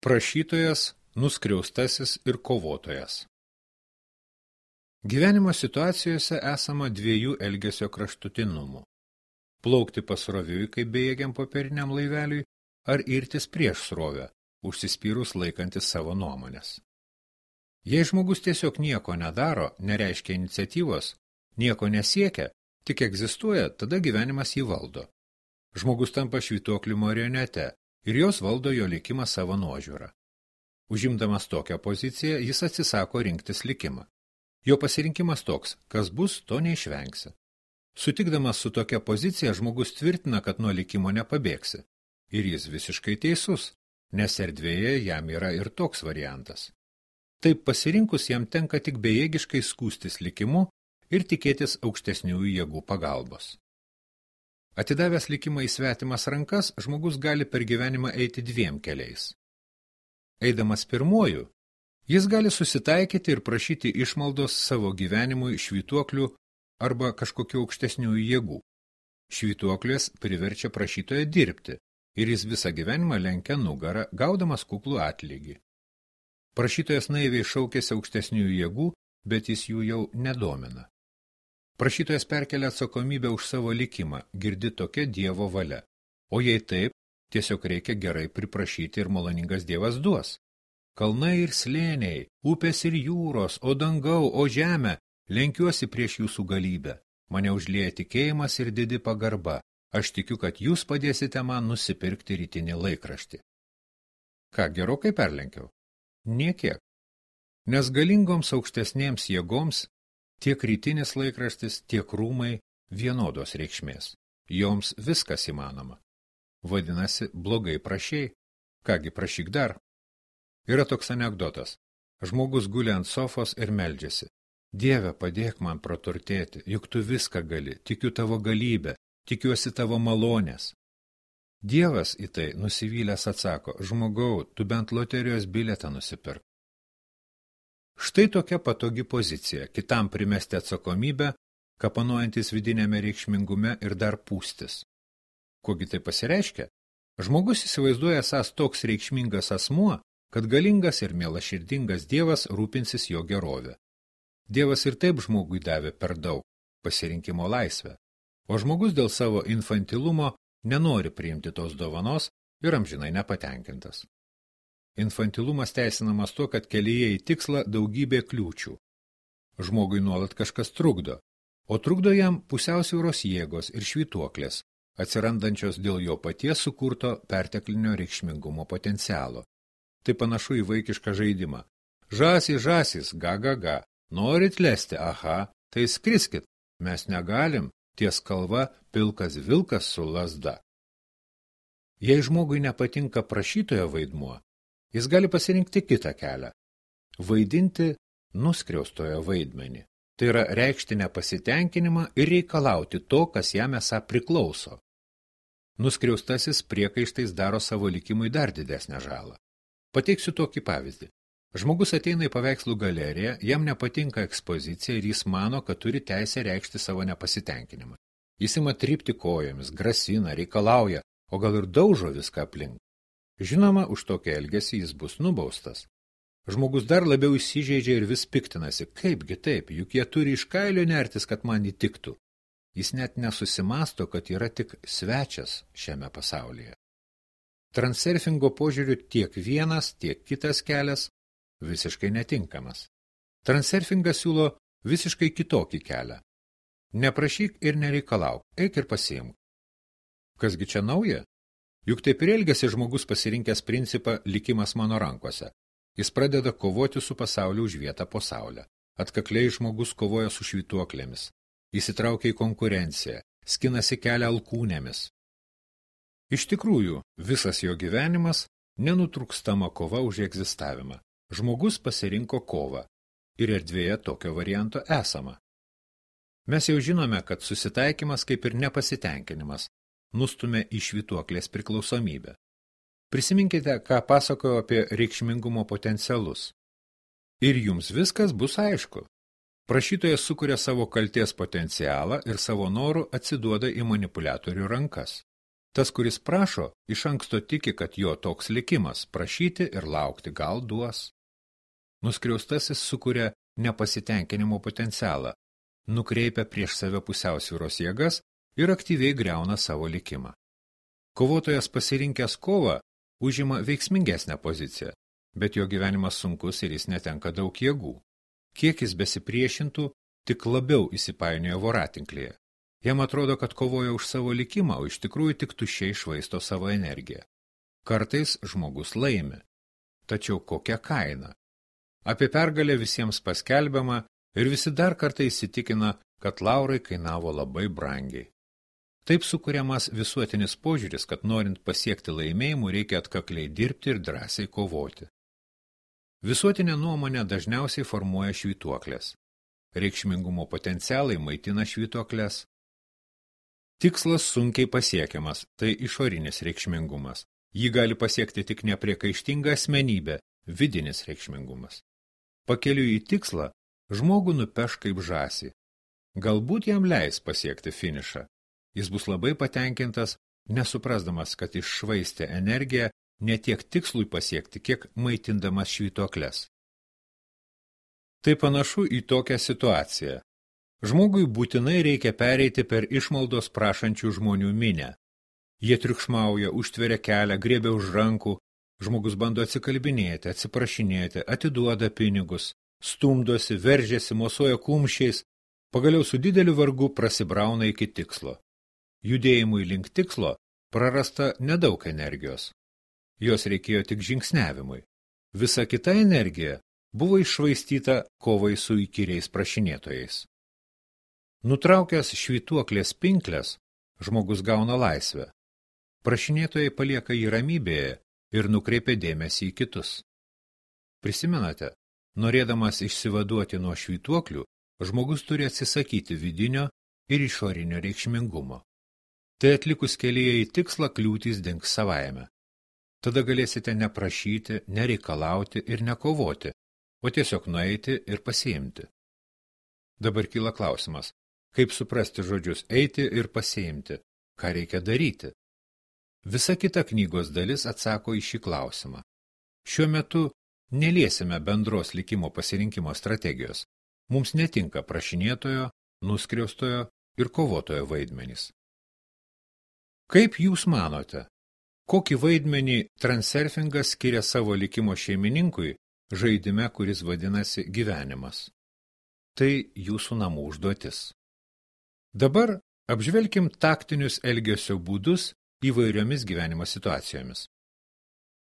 Prašytojas, nuskriaustasis ir kovotojas. Gyvenimo situacijose esama dviejų elgesio kraštutinumų. Plaukti pasroviui kaip bejėgiam popieriniam laiveliui ar irtis prieš srovę, užsispyrus laikantis savo nuomonės. Jei žmogus tiesiog nieko nedaro, nereiškia iniciatyvos, nieko nesiekia, tik egzistuoja, tada gyvenimas jį valdo. Žmogus tampa švytuoklių marionete ir jos valdo jo likimą savo nuožiūrą. Užimdamas tokią poziciją, jis atsisako rinktis likimą. Jo pasirinkimas toks, kas bus, to neišvengsi. Sutikdamas su tokia pozicija, žmogus tvirtina, kad nuo likimo nepabėgsi. Ir jis visiškai teisus, nes erdvėje jam yra ir toks variantas. Taip pasirinkus jam tenka tik bejėgiškai skųstis likimu ir tikėtis aukštesniųjų jėgų pagalbos. Atidavęs likimą į svetimas rankas, žmogus gali per gyvenimą eiti dviem keliais. Eidamas pirmuoju, jis gali susitaikyti ir prašyti išmaldos savo gyvenimui švytuoklių arba kažkokių aukštesniųjų jėgų. Švytuoklės priverčia prašytoją dirbti ir jis visą gyvenimą lenkia nugarą, gaudamas kuklų atlygį. Prašytojas naiviai šaukėsi aukštesniųjų jėgų, bet jis jų jau nedomina. Prašytojas perkelia atsakomybę už savo likimą, girdi tokia Dievo valia. O jei taip, tiesiog reikia gerai priprašyti ir maloningas Dievas duos. Kalnai ir slėniai, upės ir jūros, o dangau, o žemė, lenkiuosi prieš jūsų galybę. Mane užlieja tikėjimas ir didi pagarba. Aš tikiu, kad jūs padėsite man nusipirkti rytinį laikraštį. Ką, gerokai perlenkiau? Niekiek. Nes galingoms aukštesnėms jėgoms tiek rytinis laikraštis, tiek rūmai vienodos reikšmės. Joms viskas įmanoma. Vadinasi, blogai prašei. Kągi, prašyk dar. Yra toks anekdotas. Žmogus guli ant sofos ir meldžiasi. Dieve, padėk man praturtėti, juk tu viską gali, tikiu tavo galybę, tikiuosi tavo malonės. Dievas į tai nusivylęs atsako, žmogau, tu bent loterijos bilietą nusipirk. Štai tokia patogi pozicija, kitam primesti atsakomybę, kapanuojantis vidinėme reikšmingume ir dar pūstis. Kogi tai pasireiškia? Žmogus įsivaizduoja esąs toks reikšmingas asmuo, kad galingas ir mielaširdingas Dievas rūpinsis jo gerovę. Dievas ir taip žmogui davė per daug pasirinkimo laisvę, o žmogus dėl savo infantilumo nenori priimti tos dovanos ir amžinai nepatenkintas. Infantilumas teisinamas tuo, kad kelyje į tikslą daugybė kliūčių. Žmogui nuolat kažkas trukdo, o trukdo jam pusiausvyros jėgos ir švytuoklės, atsirandančios dėl jo paties sukurto perteklinio reikšmingumo potencialo. Tai panašu į vaikišką žaidimą. Žąsys, žąsys, ga, ga, ga. Norit lesti, aha, tai skriskit. Mes negalim, ties kalva pilkas vilkas su lazda. Jei žmogui nepatinka prašytojo vaidmuo, jis gali pasirinkti kitą kelią. Vaidinti nuskriaustojo vaidmenį. Tai yra reikšti nepasitenkinimą ir reikalauti to, kas jam esą priklauso. Nuskriaustasis priekaištais daro savo likimui dar didesnę žalą. Pateiksiu tokį pavyzdį. Žmogus ateina į paveikslų galeriją, jam nepatinka ekspozicija ir jis mano, kad turi teisę reikšti savo nepasitenkinimą. Jis ima trypti kojomis, grasina, reikalauja, o gal ir daužo viską aplink. Žinoma, už tokį elgesį jis bus nubaustas. Žmogus dar labiau įsižeidžia ir vis piktinasi, kaipgi taip, juk jie turi iš kailio nertis, kad man įtiktų. Jis net nesusimasto, kad yra tik svečias šiame pasaulyje. Transurfingo požiūriu tiek vienas, tiek kitas kelias visiškai netinkamas. Transurfingas siūlo visiškai kitokį kelią. Neprašyk ir nereikalauk, eik ir pasiimk. Kasgi čia nauja? Juk taip ir elgiasi žmogus pasirinkęs principą likimas mano rankose. Jis pradeda kovoti su pasauliu už vietą po saulę. Atkakliai žmogus kovoja su švytuoklėmis. Įsitraukia į konkurenciją, skinasi kelią alkūnėmis. Iš tikrųjų, visas jo gyvenimas nenutrūkstama kova už egzistavimą. Žmogus pasirinko kovą ir erdvėje tokio varianto esama. Mes jau žinome, kad susitaikymas kaip ir nepasitenkinimas nustumia į švytuoklės priklausomybę. Prisiminkite, ką pasakojo apie reikšmingumo potencialus. Ir jums viskas bus aišku. Prašytojas sukuria savo kaltės potencialą ir savo norų atsiduoda į manipuliatorių rankas. Tas, kuris prašo, iš anksto tiki, kad jo toks likimas – prašyti ir laukti gal duos. Nuskriaustasis sukuria nepasitenkinimo potencialą, nukreipia prieš save pusiausvyros jėgas ir aktyviai griauna savo likimą. Kovotojas pasirinkęs kovą užima veiksmingesnę poziciją, bet jo gyvenimas sunkus ir jis netenka daug jėgų. Kiek jis besipriešintų, tik labiau įsipainioja voratinklėje. Jam atrodo, kad kovoja už savo likimą, o iš tikrųjų tik tuščiai švaisto savo energiją. Kartais žmogus laimi. Tačiau kokia kaina? Apie pergalę visiems paskelbiama ir visi dar kartą įsitikina, kad laurai kainavo labai brangiai. Taip sukuriamas visuotinis požiūris, kad norint pasiekti laimėjimų reikia atkakliai dirbti ir drąsiai kovoti. Visuotinę nuomonę dažniausiai formuoja švytuoklės. Reikšmingumo potencialai maitina švytuokles. Tikslas sunkiai pasiekiamas, tai išorinis reikšmingumas. Jį gali pasiekti tik nepriekaištinga asmenybė, vidinis reikšmingumas. Pakeliui į tikslą žmogų nupeš kaip žąsį. Galbūt jam leis pasiekti finišą. Jis bus labai patenkintas, nesuprasdamas, kad iššvaistė energiją ne tiek tikslui pasiekti, kiek maitindamas švytuokles. Tai panašu į tokią situaciją. Žmogui būtinai reikia pereiti per išmaldos prašančių žmonių minę. Jie triukšmauja, užtveria kelią, griebia už rankų, žmogus bando atsikalbinėti, atsiprašinėti, atiduoda pinigus, stumdosi, veržiasi, mosuoja kumščiais, pagaliau su dideliu vargu prasibrauna iki tikslo. Judėjimui link tikslo prarasta nedaug energijos. Jos reikėjo tik žingsniavimui. Visa kita energija buvo iššvaistyta kovai su įkyriais prašinėtojais. Nutraukęs švytuoklės pinkles, žmogus gauna laisvę. Prašinėtojai palieka jį ramybėje ir nukreipia dėmesį į kitus. Prisimenate, norėdamas išsivaduoti nuo švytuoklių, žmogus turi atsisakyti vidinio ir išorinio reikšmingumo. Tai atlikus kelyje į tikslą kliūtys dings savaime. Tada galėsite neprašyti, nereikalauti ir nekovoti, o tiesiog nueiti ir pasiimti. Dabar kyla klausimas, kaip suprasti žodžius eiti ir pasiimti, ką reikia daryti. Visa kita knygos dalis atsako į šį klausimą. Šiuo metu neliesime bendros likimo pasirinkimo strategijos. Mums netinka prašinėtojo, nuskriaustojo ir kovotojo vaidmenys. Kaip jūs manote, kokį vaidmenį transurfingas skiria savo likimo šeimininkui žaidime, kuris vadinasi gyvenimas? Tai jūsų namų užduotis. Dabar apžvelkim taktinius elgesio būdus įvairiomis gyvenimo situacijomis.